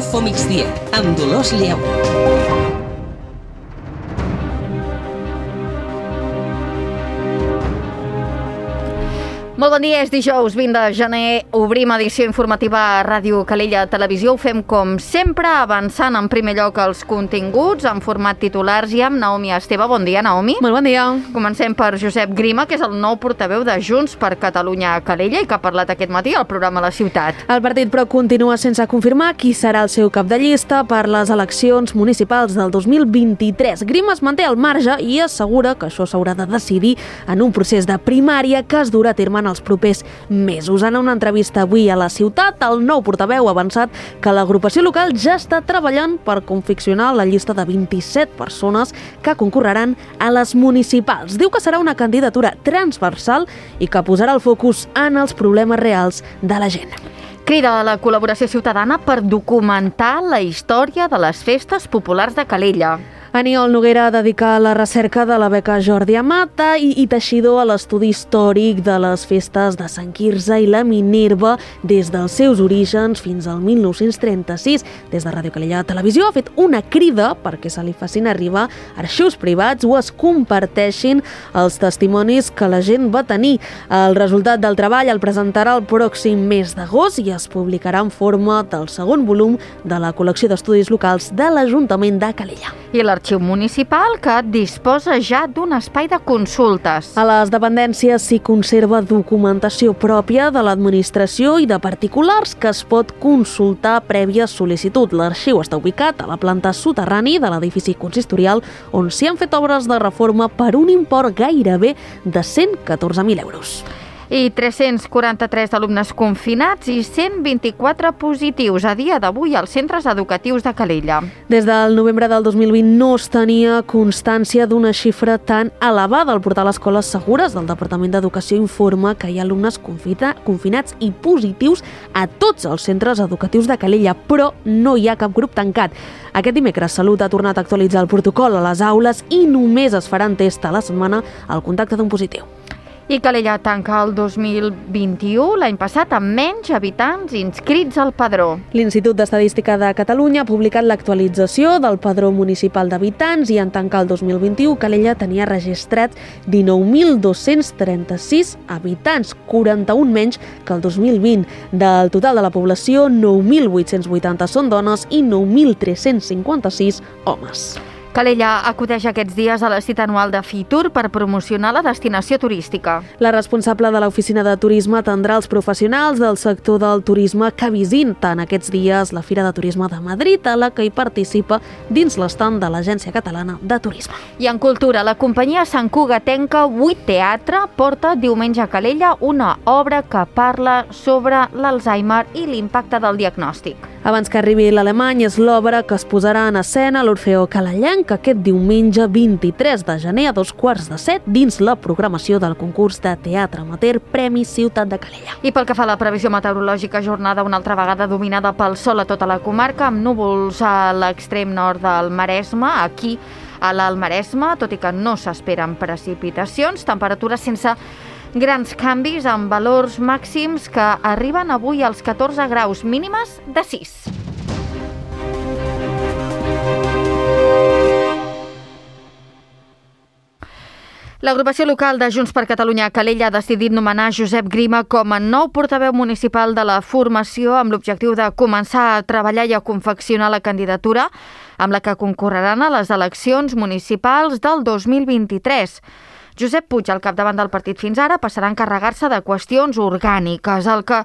Info Migdia, amb Dolors Lleu. Molt bon dia, és dijous 20 de gener, obrim edició informativa a Ràdio Calella Televisió. Ho fem com sempre, avançant en primer lloc els continguts en format titulars i amb Naomi Esteve. Bon dia, Naomi. Molt bon dia. Comencem per Josep Grima, que és el nou portaveu de Junts per Catalunya a Calella i que ha parlat aquest matí al programa La Ciutat. El partit, però, continua sense confirmar qui serà el seu cap de llista per les eleccions municipals del 2023. Grima es manté al marge i assegura que això s'haurà de decidir en un procés de primària que es durà a terme en els propers mesos. En una entrevista avui a La Ciutat, el nou portaveu ha avançat que l'agrupació local ja està treballant per confeccionar la llista de 27 persones que concorreran a les municipals. Diu que serà una candidatura transversal i que posarà el focus en els problemes reals de la gent. Crida a la col·laboració ciutadana per documentar la història de les festes populars de Calella. Aniol Noguera dedica la recerca de la beca Jordi Amata i Teixidor a l'estudi històric de les festes de Sant Quirze i la Minerva des dels seus orígens fins al 1936. Des de Ràdio Calella Televisió ha fet una crida perquè se li facin arribar arxius privats o es comparteixin els testimonis que la gent va tenir. El resultat del treball el presentarà el pròxim mes d'agost i es publicarà en forma del segon volum de la col·lecció d'estudis locals de l'Ajuntament de Calella. I l'Arxiu Municipal, que disposa ja d'un espai de consultes. A les dependències s'hi conserva documentació pròpia de l'administració i de particulars que es pot consultar prèvia sol·licitud. L'arxiu està ubicat a la planta soterrani de l'edifici consistorial, on s'hi han fet obres de reforma per un import gairebé de 114.000 euros. I 343 alumnes confinats i 124 positius a dia d'avui als centres educatius de Calella. Des del novembre del 2020 no es tenia constància d'una xifra tan elevada. El portal Escoles Segures del Departament d'Educació informa que hi ha alumnes confinats i positius a tots els centres educatius de Calella, però no hi ha cap grup tancat. Aquest dimecres Salut ha tornat a actualitzar el protocol a les aules i només es faran tests a la setmana al contacte d'un positiu. I Calella tanca el 2021, l'any passat, amb menys habitants inscrits al padró. L'Institut d'Estadística de Catalunya ha publicat l'actualització del padró municipal d'habitants i en tancar el 2021 Calella tenia registrats 19.236 habitants, 41 menys que el 2020. Del total de la població, 9.880 són dones i 9.356 homes. Calella acudeix aquests dies a la cita anual de Fitur per promocionar la destinació turística. La responsable de l'oficina de turisme atendrà els professionals del sector del turisme que visiten aquests dies la Fira de Turisme de Madrid, a la que hi participa dins l'estand de l'Agència Catalana de Turisme. I en cultura, la companyia Sant Cugatenca 8 Teatre porta diumenge a Calella una obra que parla sobre l'Alzheimer i l'impacte del diagnòstic. Abans que arribi l'alemany és l'obra que es posarà en escena a l'Orfeó Calellenc aquest diumenge 23 de gener a 2:15 dins la programació del concurs de teatre amateur Premi Ciutat de Calella. I pel que fa a la previsió meteorològica, jornada una altra vegada dominada pel sol a tota la comarca, amb núvols a l'extrem nord del Maresme, aquí a l'Alt Maresme, tot i que no s'esperen precipitacions, temperatures sense grans canvis amb valors màxims que arriben avui als 14 graus, mínimes de 6. L'agrupació local de Junts per Catalunya a Calella ha decidit nomenar Josep Grima com a nou portaveu municipal de la formació amb l'objectiu de començar a treballar i a confeccionar la candidatura amb la que concorreran a les eleccions municipals del 2023. Josep Puig, al capdavant del partit fins ara, passarà a encarregar-se de qüestions orgàniques. El que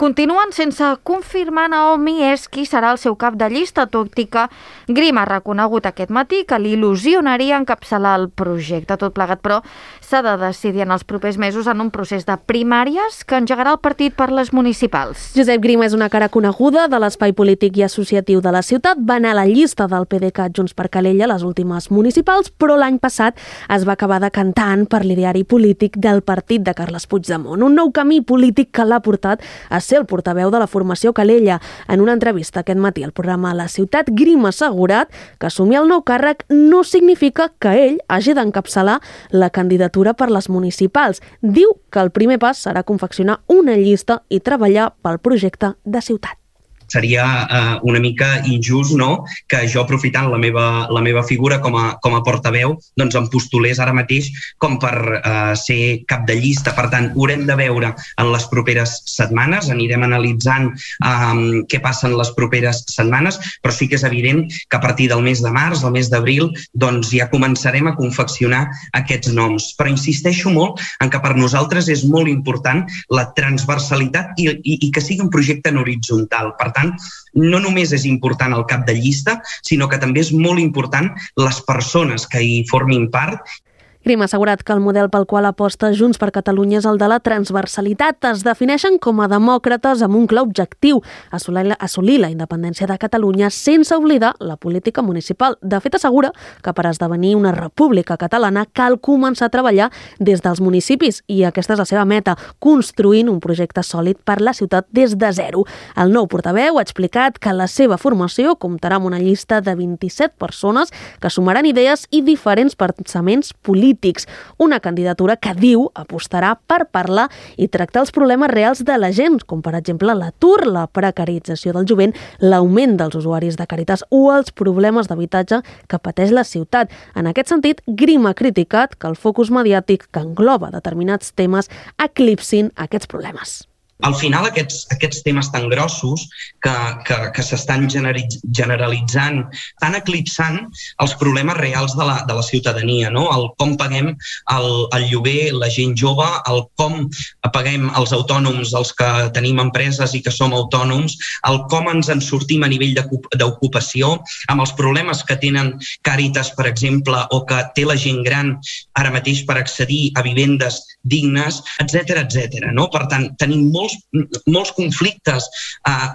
continuen sense confirmar, Naomi, és qui serà el seu cap de llista, tot i que Grima ha reconegut aquest matí que l'il·lusionaria encapçalar el projecte. Tot plegat, però, s'ha de decidir en els propers mesos en un procés de primàries que engegarà el partit per les municipals. Josep Grima és una cara coneguda de l'espai polític i associatiu de la ciutat. Va anar a la llista del PDeCAT Junts per Calella, les últimes municipals, però l'any passat es va acabar decantant per l'ideari polític del partit de Carles Puigdemont. Un nou camí polític que l'ha portat a ser el portaveu de la formació Calella. En una entrevista aquest matí al programa La Ciutat, Grima ha assegurat que assumir el nou càrrec no significa que ell hagi d'encapçalar la candidatura per les municipals. Diu que el primer pas serà confeccionar una llista i treballar pel projecte de ciutat. seria una mica injust, no?, que jo, aprofitant la meva figura com a portaveu, doncs em postulés ara mateix com per ser cap de llista. Per tant, ho haurem de veure en les properes setmanes, anirem analitzant què passa en les properes setmanes, però sí que és evident que a partir del mes de març, del mes d'abril, doncs ja començarem a confeccionar aquests noms. Però insisteixo molt en que per nosaltres és molt important la transversalitat i que sigui un projecte en horitzontal. Per tant, no només és important el cap de llista, sinó que també és molt important les persones que hi formin part. Grima ha assegurat que el model pel qual aposta Junts per Catalunya és el de la transversalitat. Es defineixen com a demòcrates amb un clar objectiu, assolir la independència de Catalunya sense oblidar la política municipal. De fet, assegura que per esdevenir una república catalana cal començar a treballar des dels municipis i aquesta és la seva meta, construint un projecte sòlid per la ciutat des de zero. El nou portaveu ha explicat que la seva formació comptarà amb una llista de 27 persones que sumaran idees i diferents pensaments polítics. Una candidatura que diu apostarà per parlar i tractar els problemes reals de la gent, com per exemple l'atur, la precarització del jovent, l'augment dels usuaris de Càritas o els problemes d'habitatge que pateix la ciutat. En aquest sentit, Grima ha criticat que el focus mediàtic que engloba determinats temes eclipsin aquests problemes. Al final, aquests temes tan grossos que s'estan generalitzant, estan eclipsant els problemes reals de la ciutadania, no? El com paguem el lloguer, la gent jove, el com paguem els autònoms, els que tenim empreses i que som autònoms, el com ens en sortim a nivell d'ocupació, amb els problemes que tenen Càritas, per exemple, o que té la gent gran ara mateix per accedir a vivendes dignes, etc. No? Per tant, tenim molts conflictes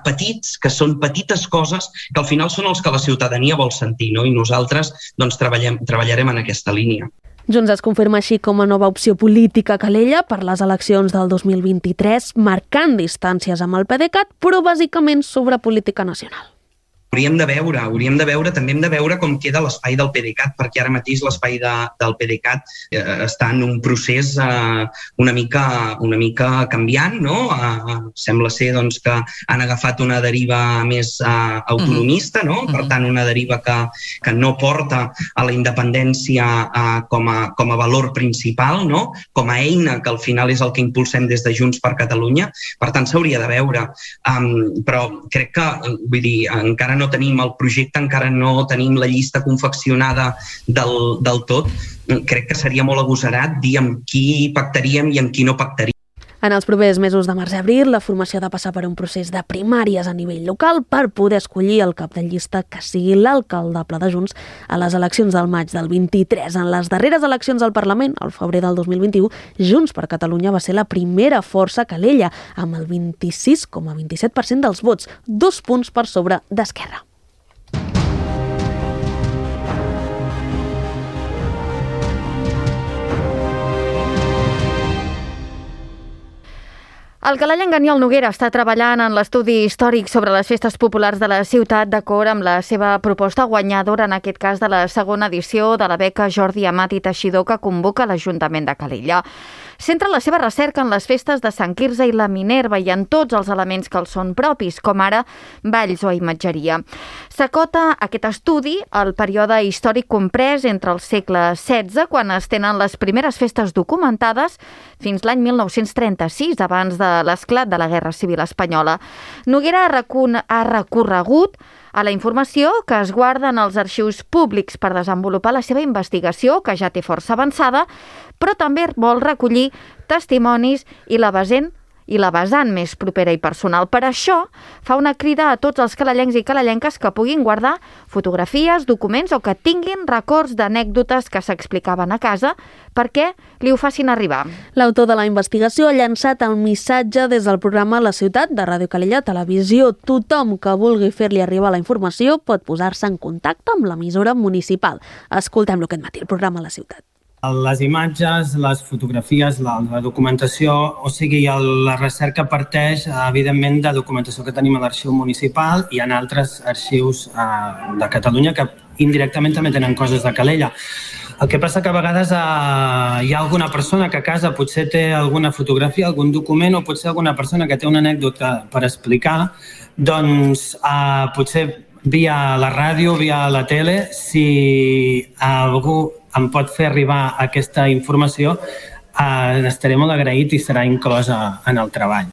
petits, que són petites coses, que al final són els que la ciutadania vol sentir, no? I nosaltres doncs, treballarem en aquesta línia. Junts es confirma així com a nova opció política a Calella per les eleccions del 2023, marcant distàncies amb el PDeCAT, però bàsicament sobre política nacional. Hauríem de veure, també hem de veure com queda l'espai del PDeCAT, perquè ara mateix l'espai del PDeCAT està en un procés una mica canviant, no? Sembla ser doncs, que han agafat una deriva més autonomista, no? Per tant, una deriva que no porta a la independència com a valor principal, no? Com a eina, que al final és el que impulsem des de Junts per Catalunya. Per tant, s'hauria de veure. Però crec que, vull dir, encara no tenim el projecte, encara no tenim la llista confeccionada del tot. Crec que seria molt agosarat dir amb qui pactaríem i amb qui no pactaríem. En els propers mesos de març i abril, la formació ha de passar per un procés de primàries a nivell local per poder escollir el cap de llista que sigui l'alcaldable de Junts a les eleccions del maig del 23. En les darreres eleccions al Parlament, al febrer del 2021, Junts per Catalunya va ser la primera força a Calella, amb el 26,27% dels vots, 2 punts per sobre d'Esquerra. El calellenc Aniol Noguera està treballant en l'estudi històric sobre les festes populars de la ciutat d'acord amb la seva proposta guanyadora, en aquest cas de la segona edició de la beca Jordi Amat i Teixidor que convoca l'Ajuntament de Calella. Centra la seva recerca en les festes de Sant Quirze i la Minerva i en tots els elements que els són propis, com ara balls o imatgeria. S'acota aquest estudi al període històric comprès entre el segle XVI, quan es tenen les primeres festes documentades, fins l'any 1936, abans de l'esclat de la Guerra Civil Espanyola. Noguera ha recorregut a la informació que es guarda en els arxius públics per desenvolupar la seva investigació, que ja té força avançada, però també vol recollir testimonis i la vessant més propera i personal. Per això, fa una crida a tots els calellencs i calellenques que puguin guardar fotografies, documents o que tinguin records d'anècdotes que s'explicaven a casa perquè li ho facin arribar. L'autor de la investigació ha llançat el missatge des del programa La Ciutat de Ràdio Calella Televisió. Tothom que vulgui fer-li arribar la informació pot posar-se en contacte amb l'emissora municipal. Escoltem-lo aquest matí, el programa La Ciutat. Les imatges, les fotografies, la documentació, o sigui, la recerca parteix, evidentment, de documentació que tenim a l'arxiu municipal i en altres arxius de Catalunya que indirectament també tenen coses de Calella. El que passa que a vegades hi ha alguna persona que a casa potser té alguna fotografia, algun document, o potser alguna persona que té una anècdota per explicar, doncs potser via la ràdio, via la tele, si algú em pot fer arribar aquesta informació, estaré molt agraït i serà inclosa en el treball.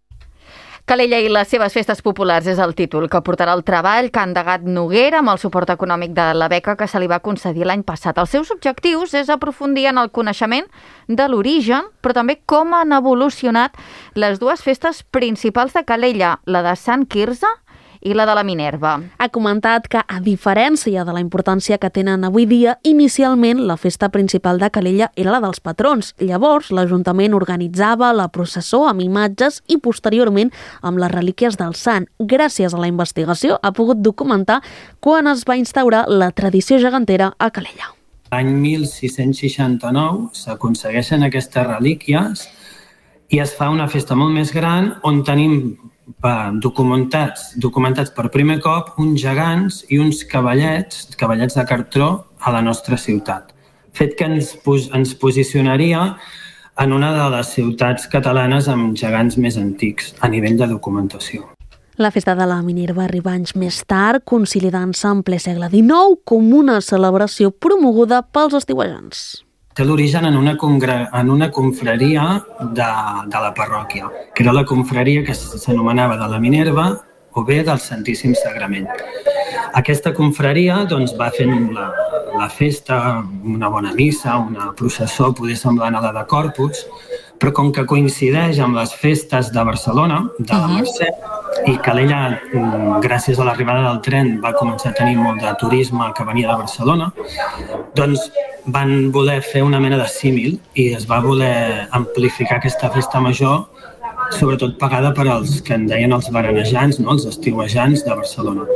Calella i les seves festes populars és el títol que portarà el treball que ha endegat Noguera amb el suport econòmic de la beca que se li va concedir l'any passat. Els seus objectius és aprofundir en el coneixement de l'origen, però també com han evolucionat les dues festes principals de Calella, la de Sant Quirze i la de la Minerva. Ha comentat que, a diferència de la importància que tenen avui dia, inicialment la festa principal de Calella era la dels patrons. Llavors, l'Ajuntament organitzava la processó amb imatges i, posteriorment, amb les relíquies del sant. Gràcies a la investigació, ha pogut documentar quan es va instaurar la tradició gegantera a Calella. L'any 1669 s'aconsegueixen aquestes relíquies i es fa una festa molt més gran on tenim documentats per primer cop uns gegants i uns cavallets de cartró a la nostra ciutat. Fet que ens posicionaria en una de les ciutats catalanes amb gegants més antics a nivell de documentació. La festa de la Minerva arriba anys més tard, consolidant-se en ple segle XIX com una celebració promoguda pels estiuejants. Té l'origen en una confraria de la parròquia, que era la confraria que s'anomenava de la Minerva o bé del Santíssim Sagrament. Aquesta confraria va fent la festa, una bona missa, una processó, poder semblant a la de Corpus, però com que coincideix amb les festes de Barcelona, de la Mercè, i Calella, gràcies a l'arribada del tren, va començar a tenir molt de turisme que venia de Barcelona, doncs van voler fer una mena de símil i es va voler amplificar aquesta festa major, sobretot pagada per als que en deien els berenejants, els estiuejants de Barcelona.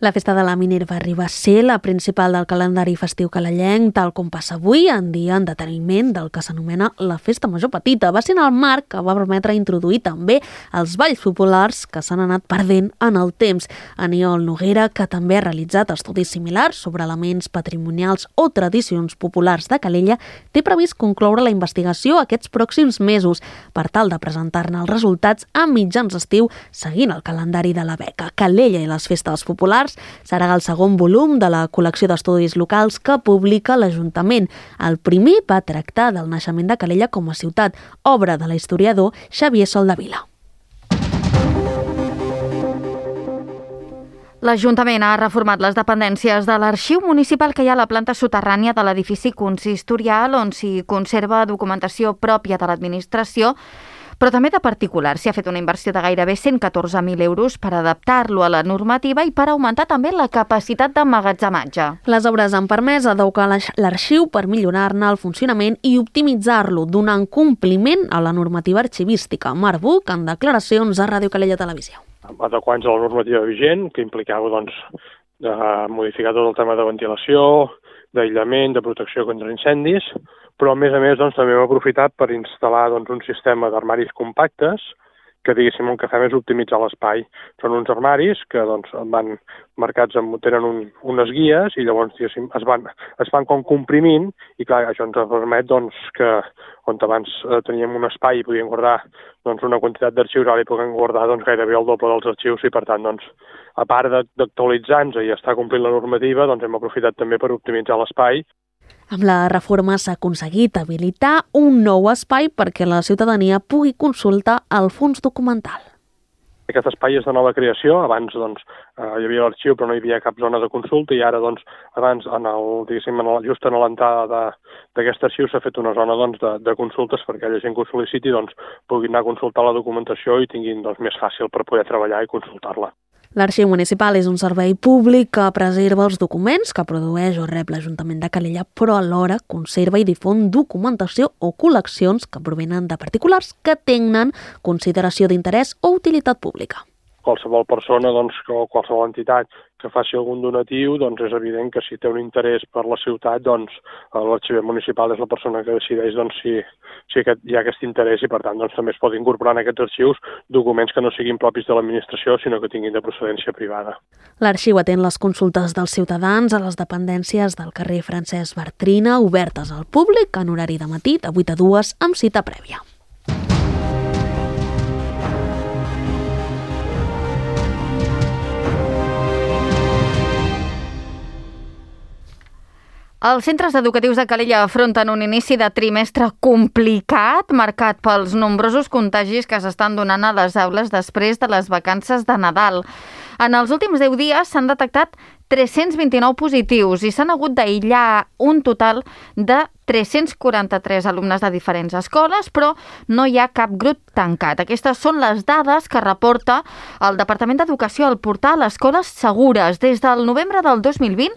La festa de la Minerva arriba a ser la principal del calendari festiu calellenc, tal com passa avui, en dia en deteniment del que s'anomena la Festa Major Petita. Va ser en el marc que va permetre introduir també els balls populars que s'han anat perdent en el temps. Aniol Noguera, que també ha realitzat estudis similars sobre elements patrimonials o tradicions populars de Calella, té previst concloure la investigació aquests pròxims mesos per tal de presentar-ne els resultats a mitjans d'estiu seguint el calendari de la beca. Calella i les festes populars serà el segon volum de la col·lecció d'estudis locals que publica l'Ajuntament. El primer va tractar del naixement de Calella com a ciutat, obra de la historiador Xavier Soldevila. L'Ajuntament ha reformat les dependències de l'arxiu municipal que hi ha a la planta soterrània de l'edifici consistorial, on s'hi conserva documentació pròpia de l'administració, però també de particulars. S'hi ha fet una inversió de gairebé 114.000 euros per adaptar-lo a la normativa i per augmentar també la capacitat d'emmagatzematge. Les obres han permès adequar l'arxiu per millorar-ne el funcionament i optimitzar-lo, donant compliment a la normativa arxivística. Marc Buch, en declaracions a Ràdio Calella Televisió. Adequant-nos a la normativa vigent, que implicava modificar tot el tema de ventilació, d'aïllament, de protecció contra incendis, però a més també hem aprofitat per instal·lar un sistema d'armaris compactes que, diguéssim, el que fem és optimitzar l'espai. Són uns armaris que van marcats, tenen unes guies i llavors, diguéssim, es van com comprimint i, clar, això ens permet que on abans teníem un espai i podíem guardar una quantitat d'arxius, ara hi podem guardar gairebé el doble dels arxius i, per tant, a part d'actualitzar-nos i estar complint la normativa, hem aprofitat també per optimitzar l'espai. Amb la reforma s'ha aconseguit habilitar un nou espai perquè la ciutadania pugui consultar el fons documental. Aquest espai és de nova creació. Abans hi havia l'arxiu però no hi havia cap zona de consulta i ara abans just en l'entrada d'aquest arxiu s'ha fet una zona de consultes perquè aquella gent que ho sol·liciti pugui anar a consultar la documentació i tinguin més fàcil per poder treballar i consultar-la. L'Arxiu Municipal és un servei públic que preserva els documents que produeix o rep l'Ajuntament de Calella, però alhora conserva i difon documentació o col·leccions que provenen de particulars que tenen consideració d'interès o utilitat pública. qualsevol persona o qualsevol entitat que faci algun donatiu, doncs és evident que si té un interès per la ciutat, doncs l'arxiver municipal és la persona que decideix si hi ha aquest interès i per tant també es pot incorporar en aquests arxius documents que no siguin propis de l'administració sinó que tinguin de procedència privada. L'Arxiu atén les consultes dels ciutadans a les dependències del carrer Francesc Bartrina, obertes al públic en horari de matí de 8 a 2 amb cita prèvia. Els centres educatius de Calella afronten un inici de trimestre complicat, marcat pels nombrosos contagis que s'estan donant a les aules després de les vacances de Nadal. En els últims 10 dies s'han detectat 329 positius i s'han hagut d'aïllar un total de 343 alumnes de diferents escoles, però no hi ha cap grup tancat. Aquestes són les dades que reporta el Departament d'Educació al portal Escoles Segures. Des del novembre del 2020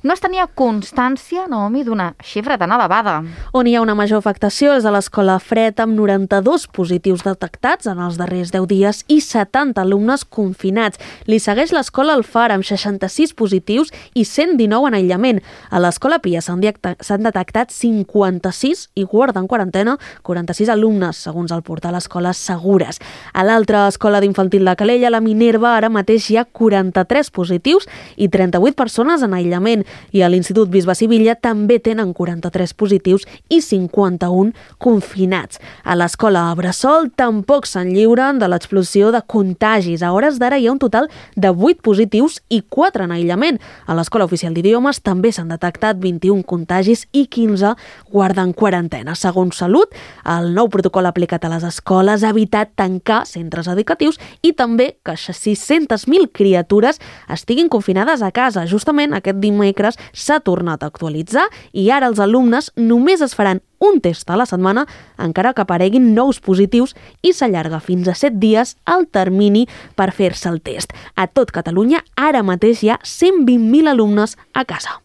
no es tenia constància, Naomi, d'una xifra tan elevada. On hi ha una major afectació és a l'Escola Fred, amb 92 positius detectats en els darrers 10 dies i 70 alumnes confinats. Li segueix l'Escola Alfara, amb 66 positius i 119 en aïllament. A l'Escola Pia s'han detectat 56 i guarden quarantena 46 alumnes, segons el portal Escoles Segures. A l'altra escola d'infantil de Calella, la Minerva, ara mateix hi ha 43 positius i 38 persones en aïllament. I a l'Institut Bisbe Sivilla també tenen 43 positius i 51 confinats. A l'escola Bressol tampoc se'n lliuren de l'explosió de contagis. A hores d'ara hi ha un total de 8 positius i 4 en aïllament. A l'Escola Oficial d'Idiomes també s'han detectat 21 contagis i 15 guarden quarantena. Segons Salut, el nou protocol aplicat a les escoles ha evitat tancar centres educatius i també que 600.000 criatures estiguin confinades a casa. Justament aquest dimecres s'ha tornat a actualitzar i ara els alumnes només es faran un test a la setmana, encara que apareguin nous positius, i s'allarga fins a 7 dies el termini per fer-se el test. A tot Catalunya, ara mateix hi ha 120.000 alumnes a casa.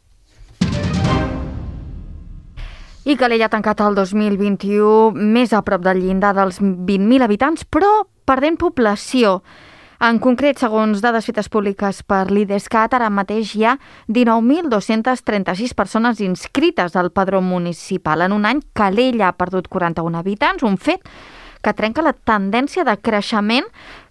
I Calella ha tancat el 2021 més a prop del llindar dels 20.000 habitants, però perdent població. En concret, segons dades fetes públiques per l'IDESCAT, ara mateix hi ha 19.236 persones inscrites al padró municipal. En un any, Calella ha perdut 41 habitants, un fet que trenca la tendència de creixement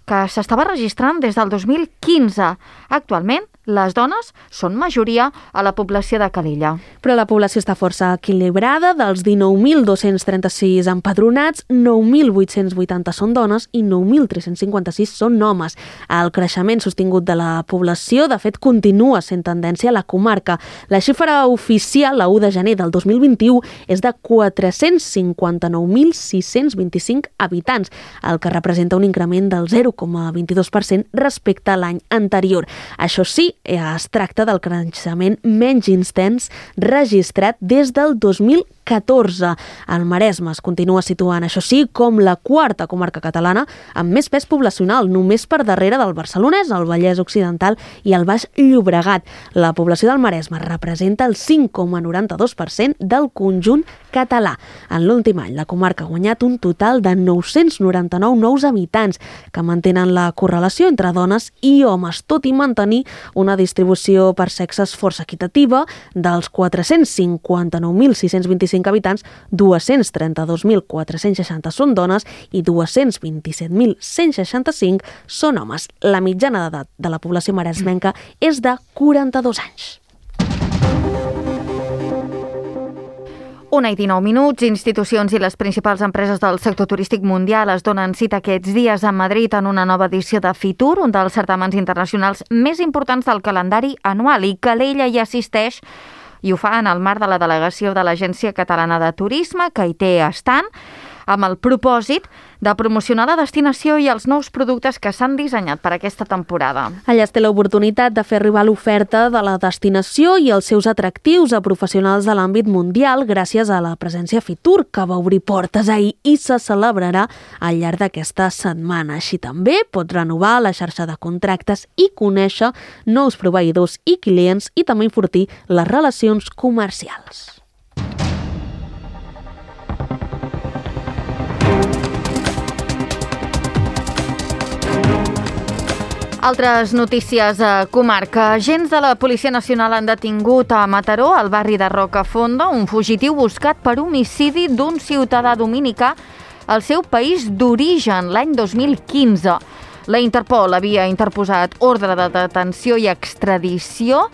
que s'estava registrant des del 2015. Actualment, les dones són majoria a la població de Calella. Però la població està força equilibrada. Dels 19.236 empadronats, 9.880 són dones i 9.356 són homes. El creixement sostingut de la població, de fet, continua sent tendència a la comarca. La xifra oficial, la 1 de gener del 2021, és de 459.625 habitants, el que representa un increment del 0,22% respecte a l'any anterior. Això sí, es tracta del creixement menys intens registrat des del 2014. El Maresme es continua situant, això sí, com la quarta comarca catalana amb més pes poblacional, només per darrere del Barcelonès, el Vallès Occidental i el Baix Llobregat. La població del Maresme representa el 5,92% del conjunt català. En l'últim any, la comarca ha guanyat un total de 999 nous habitants que mantenen la correlació entre dones i homes, tot i mantenir una distribució per sexes força equitativa. Dels 459.625 habitants, 232.460 són dones i 227.165 són homes. La mitjana d'edat de la població maresmenca és de 42 anys. 1:19, institucions i les principals empreses del sector turístic mundial es donen cita aquests dies a Madrid en una nova edició de Fitur, un dels certàmens internacionals més importants del calendari anual, i Calella hi assisteix i ho fa en el marc de la delegació de l'Agència Catalana de Turisme, que hi té estant, amb el propòsit de promocionar la destinació i els nous productes que s'han dissenyat per aquesta temporada. Allà es té l'oportunitat de fer arribar l'oferta de la destinació i els seus atractius a professionals de l'àmbit mundial gràcies a la presència Fitur, que va obrir portes ahir i se celebrarà al llarg d'aquesta setmana. Així també pots renovar la xarxa de contractes i conèixer nous proveïdors i clients i també enfortir les relacions comercials. Altres notícies a comarca. Agents de la Policia Nacional han detingut a Mataró, al barri de Rocafonda, un fugitiu buscat per homicidi d'un ciutadà dominicà al seu país d'origen l'any 2015. La Interpol havia interposat ordre de detenció i extradició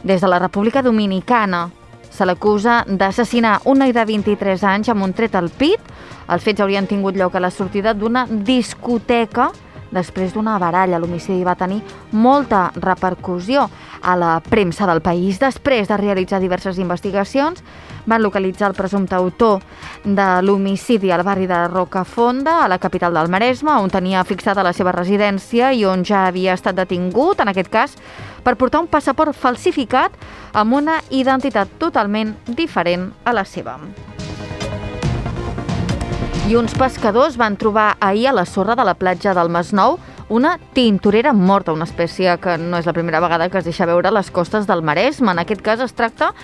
des de la República Dominicana. Se l'acusa d'assassinar un noi de 23 anys amb un tret al pit. Els fets haurien tingut lloc a la sortida d'una discoteca després d'una baralla. L'homicidi va tenir molta repercussió a la premsa del país. Després de realitzar diverses investigacions, van localitzar el presumpte autor de l'homicidi al barri de Rocafonda, a la capital del Maresme, on tenia fixada la seva residència i on ja havia estat detingut, en aquest cas, per portar un passaport falsificat amb una identitat totalment diferent a la seva. I uns pescadors van trobar ahir a la sorra de la platja del Masnou una tintorera morta, una espècie que no és la primera vegada que es deixa veure a les costes del Maresme. En aquest cas es tracta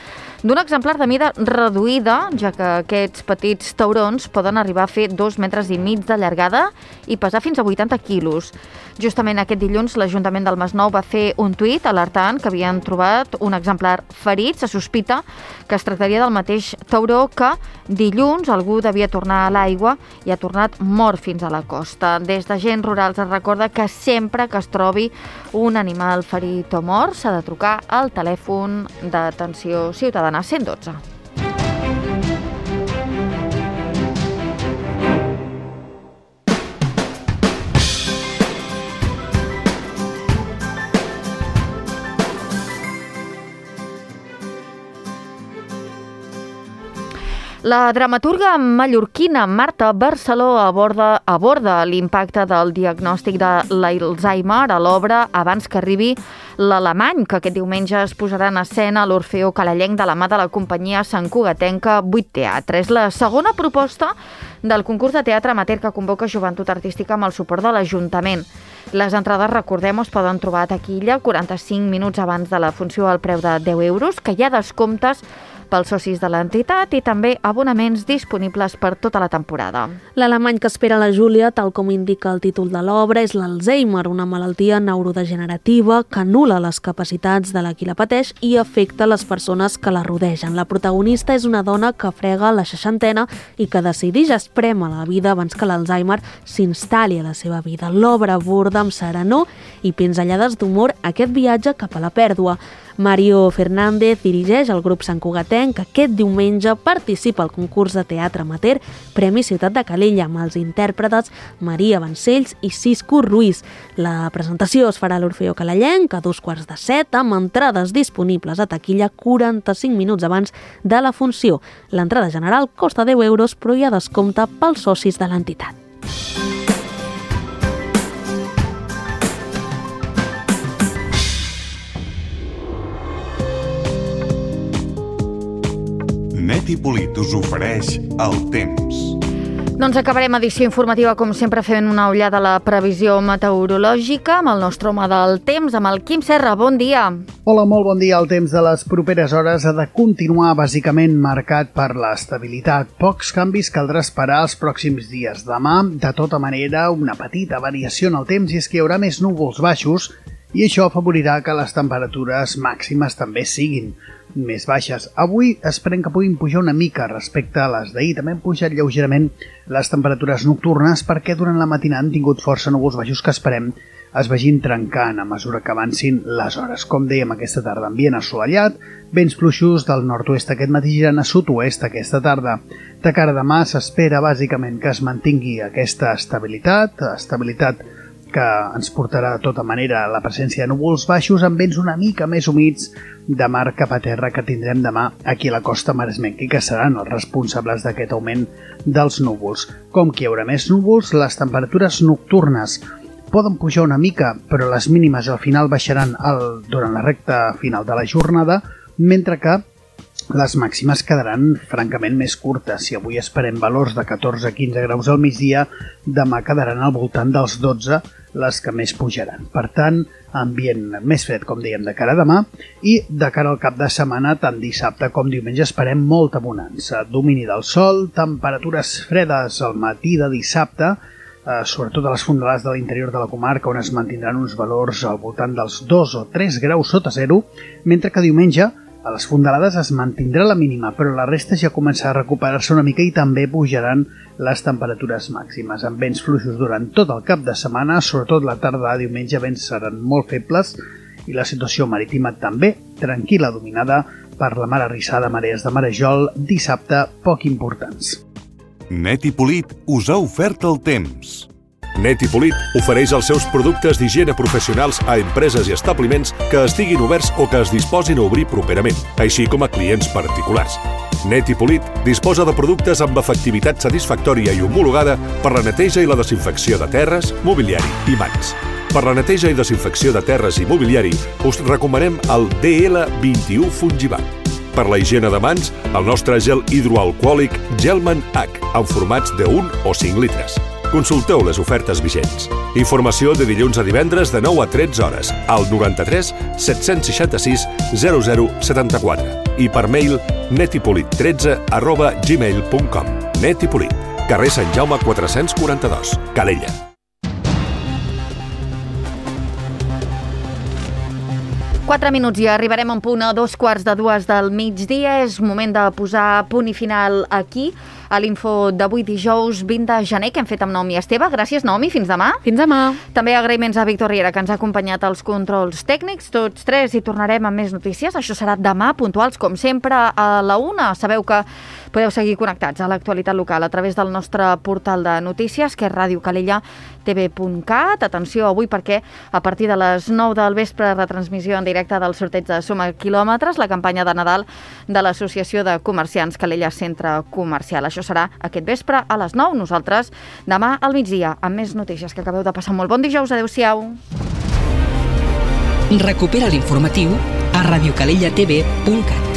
d'un exemplar de mida reduïda, ja que aquests petits taurons poden arribar a fer 2,5 metres de llargada i pesar fins a 80 quilos. Justament aquest dilluns l'Ajuntament del Masnou va fer un tuit alertant que havien trobat un exemplar ferit. Se sospita que es tractaria del mateix tauró que dilluns algú devia tornar a l'aigua i ha tornat mort fins a la costa. Des d'agents rurals es recorda que sempre que es trobi un animal ferit o mort s'ha de trucar al telèfon d'atenció ciutadana 112. La dramaturga mallorquina Marta Barceló aborda l'impacte del diagnòstic de l'Alzheimer a l'obra Abans que arribi l'Alemany, que aquest diumenge es posarà en escena a l'Orfeó Calellenc de la mà de la companyia santcugatenca 8 Teatre. És la segona proposta del concurs de teatre amateur que convoca Joventut Artística amb el suport de l'Ajuntament. Les entrades, recordem, es poden trobar a taquilla 45 minuts abans de la funció al preu de 10 euros, que hi ha descomptes pels socis de l'entitat i també abonaments disponibles per tota la temporada. L'alemany que espera la Júlia, tal com indica el títol de l'obra, és l'Alzheimer, una malaltia neurodegenerativa que anul·la les capacitats de la qui la pateix i afecta les persones que la rodegen. La protagonista és una dona que frega la 60ena i que decideix esprémer la vida abans que l'Alzheimer s'instal·li a la seva vida. L'obra aborda amb serenor i pinzellades d'humor aquest viatge cap a la pèrdua. Mario Fernández dirigeix el grup santcugatenc que aquest diumenge participa al concurs de teatre amateur Premi Ciutat de Calella amb els intèrpretes Maria Vancells i Cisco Ruiz. La presentació es farà a l'Orfeó Calellenc a 6:45 amb entrades disponibles a taquilla 45 minuts abans de la funció. L'entrada general costa 10 euros però hi ha descompte pels socis de l'entitat. Net i Polit us ofereix el temps. Doncs acabarem edició informativa, com sempre, fent una ullada a la previsió meteorològica amb el nostre home del temps, amb el Quim Serra. Bon dia. Hola, molt bon dia. El temps de les properes hores ha de continuar bàsicament marcat per l'estabilitat. Pocs canvis caldrà esperar els pròxims dies. Demà, de tota manera, una petita variació en el temps i és que hi haurà més núvols baixos i això afavorirà que les temperatures màximes també siguin més baixes. Avui esperem que puguin pujar una mica respecte a les d'ahir. També han pujat lleugerament les temperatures nocturnes perquè durant la matinada han tingut força núvols baixos que esperem es vagin trencant a mesura que avancin les hores. Com dèiem, aquesta tarda ambient assolellat, vents fluixos del nord-oest aquest matí girant a sud-oest aquesta tarda. De cara a demà s'espera bàsicament que es mantingui aquesta estabilitat que ens portarà de tota manera la presència de núvols baixos amb vents una mica més humits de mar cap a terra que tindrem demà aquí a la costa maresmenca i que seran els responsables d'aquest augment dels núvols. Com que hi haurà més núvols, les temperatures nocturnes poden pujar una mica, però les mínimes al final baixaran durant la recta final de la jornada, mentre que les màximes quedaran francament més curtes. Si avui esperem valors de 14-15 graus al migdia, demà quedaran al voltant dels 12 les que més pujaran. Per tant, ambient més fred, com dèiem, de cara a demà i de cara al cap de setmana, tant dissabte com diumenge, esperem molta bonança. Domini del sol, temperatures fredes al matí de dissabte, sobretot a les fondalades de l'interior de la comarca, on es mantindran uns valors al voltant dels 2 o 3 graus sota zero, mentre que diumenge a les fondalades es mantindrà la mínima, però la resta ja comença a recuperar-se una mica i també pujaran les temperatures màximes. Amb vents fluixos durant tot el cap de setmana, sobretot la tarda de diumenge, vents seran molt febles i la situació marítima també tranquil·la, dominada per la mar arrissada, marees de marejol, dissabte poc importants. Net i Polit us ha ofert el temps. Net i Polit ofereix els seus productes d'higiene professionals a empreses i establiments que estiguin oberts o que es disposin a obrir properament, així com a clients particulars. Net i Polit disposa de productes amb efectivitat satisfactòria i homologada per la neteja i la desinfecció de terres, mobiliari i mans. Per la neteja i desinfecció de terres i mobiliari us recomanem el DL21 Fungibat. Per la higiene de mans, el nostre gel hidroalcohòlic Gelman H, en formats de 1 o 5 litres. Consulteu les ofertes vigents. Informació de dilluns a divendres de 9 a 13 hores al 93 766 0074 i per mail netipolit13@gmail.com. Net i Polit, carrer Sant Jaume 442, Calella. Quatre minuts i arribarem a un punt a 2:15 del migdia. És moment de posar punt i final aquí, a l'info d'avui dijous 20 de gener, que hem fet amb Naomi Esteve. Gràcies, Naomi. Fins demà. Fins demà. També agraïments a Víctor Riera, que ens ha acompanyat als controls tècnics. Tots tres i tornarem amb més notícies. Això serà demà, puntuals, com sempre, a la 1. Sabeu que podeu seguir connectats a l'actualitat local a través del nostre portal de notícies, que és radiocalellatv.cat. Atenció avui perquè a partir de les 9 del vespre, retransmissió en directe del sorteig de Suma Quilòmetres, la campanya de Nadal de l'Associació de Comerciants Calella Centre Comercial. Això serà aquest vespre a les 9. Nosaltres demà al migdia amb més notícies. Que acabeu de passar molt bon dijous. Adéu-siau. Recupera l'informatiu a radiocalellatv.cat.